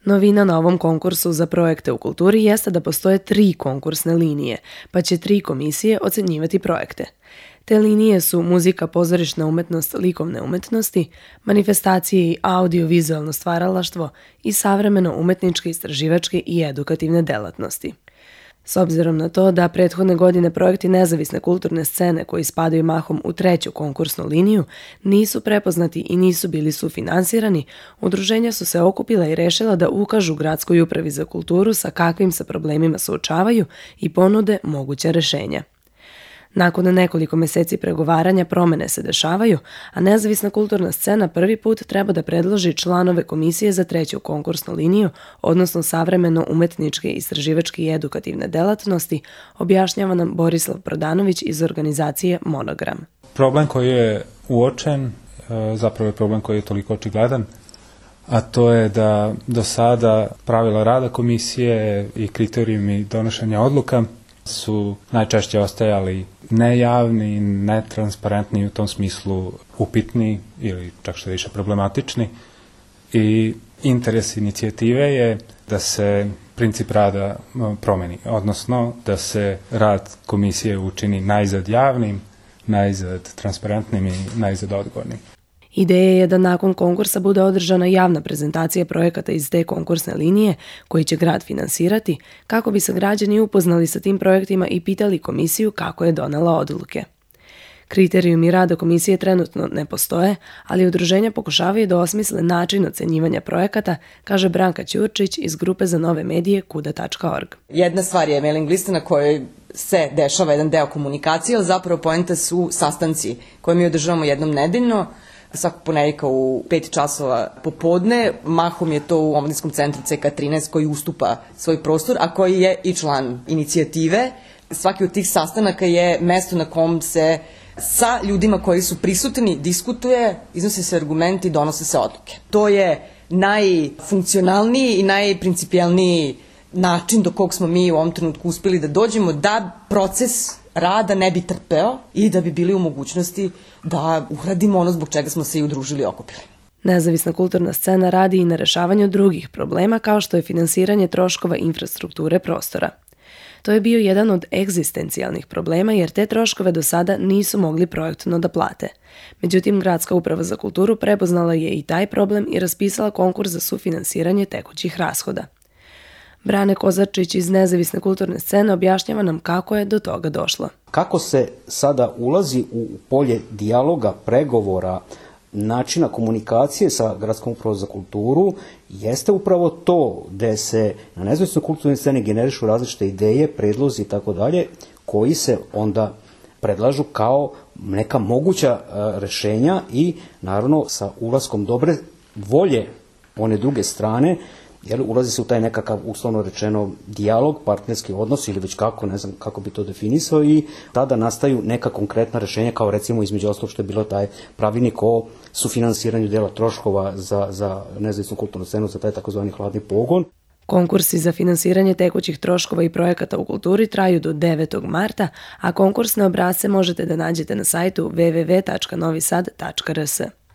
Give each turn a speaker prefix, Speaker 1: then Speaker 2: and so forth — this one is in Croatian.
Speaker 1: Novina na ovom konkursu za projekte u kulturi jeste da postoje 3 konkursne linije, pa će 3 komisije ocenjivati projekte. Te linije su muzika, pozorišna umetnost, likovne umetnosti, manifestacije i audio-vizualno stvaralaštvo i savremeno umetničke, istraživačke i edukativne delatnosti. S obzirom na to da prethodne godine projekti nezavisne kulturne scene koji spadaju mahom u 3. konkursnu liniju nisu prepoznati i nisu bili sufinansirani, udruženja su se okupila i rešila da ukažu Gradskoj upravi za kulturu sa kakvim se problemima suočavaju i ponude moguća rešenja. Nakon nekoliko meseci pregovaranja promene se dešavaju, a nezavisna kulturna scena prvi put treba da predloži članove komisije za 3. konkursnu liniju, odnosno savremeno umetničke, istraživačke i edukativne delatnosti, objašnjava nam Borislav Prodanović iz organizacije Monogram.
Speaker 2: Problem koji je uočen, zapravo je problem koji je toliko očigledan, a to je da do sada pravila rada komisije i kriterijumi donošenja odluka su najčešće ostajali nejavni, netransparentni i u tom smislu upitni ili čak što više problematični. I interes inicijative je da se princip rada promeni, odnosno da se rad komisije učini najzad javnim, najzad transparentnim i najzad odgovornim.
Speaker 1: Ideja je da nakon konkursa bude održana javna prezentacija projekata iz te konkursne linije koji će grad finansirati, kako bi se građani upoznali sa tim projektima i pitali komisiju kako je donela odluke. Kriterijumi rada komisije trenutno ne postoje, ali udruženja pokušavaju da osmisle način ocenjivanja projekata, kaže Branka Ćurčić iz grupe za nove medije kuda.org.
Speaker 3: Jedna stvar je mailing lista na kojoj se dešava jedan deo komunikacije, ali zapravo poenta su sastanci koje mi održavamo jednom nedeljno, svakog ponedjeljka u 5 časova popodne. Mahom je to u omladinskom centru CK13 koji ustupa svoj prostor, a koji je i član inicijative. Svaki od tih sastanaka je mesto na kom se sa ljudima koji su prisutni diskutuje, iznose se argumenti, donose se odluke. To je najfunkcionalniji i najprincipijalniji način do kog smo mi u ovom trenutku uspeli da dođemo, da proces rada ne bi trpeo i da bi bili u mogućnosti da uradimo ono zbog čega smo se i udružili i okupili.
Speaker 1: Nezavisna kulturna scena radi i na rešavanju drugih problema kao što je finansiranje troškova infrastrukture prostora. To je bio jedan od egzistencijalnih problema jer te troškove do sada nisu mogli projektno da plate. Međutim, Gradska uprava za kulturu prepoznala je i taj problem i raspisala konkurs za sufinansiranje tekućih rashoda. Brane Kozarčić iz nezavisne kulturne scene objašnjava nam kako je do toga došlo.
Speaker 4: Kako se sada ulazi u polje dijaloga, pregovora, načina komunikacije sa Gradskom upravom za kulturu, jeste upravo to da se na nezavisnoj kulturnoj sceni generišu različite ideje, predlozi i tako dalje, koji se onda predlažu kao neka moguća rešenja i naravno sa ulaskom dobre volje one druge strane, jer ulazi se u taj nekakav, uslovno rečeno, dijalog, partnerski odnos ili već kako, ne znam kako bi to definisao, i tada nastaju neka konkretna rešenja, kao recimo između ostalog što je bilo taj pravilnik o sufinansiranju dela troškova za nezavisnu kulturnu scenu, za taj takozvani hladni pogon.
Speaker 1: Konkursi za finansiranje tekućih troškova i projekata u kulturi traju do 9. marta, a konkursne obrasce možete da nađete na sajtu www.novisad.rs.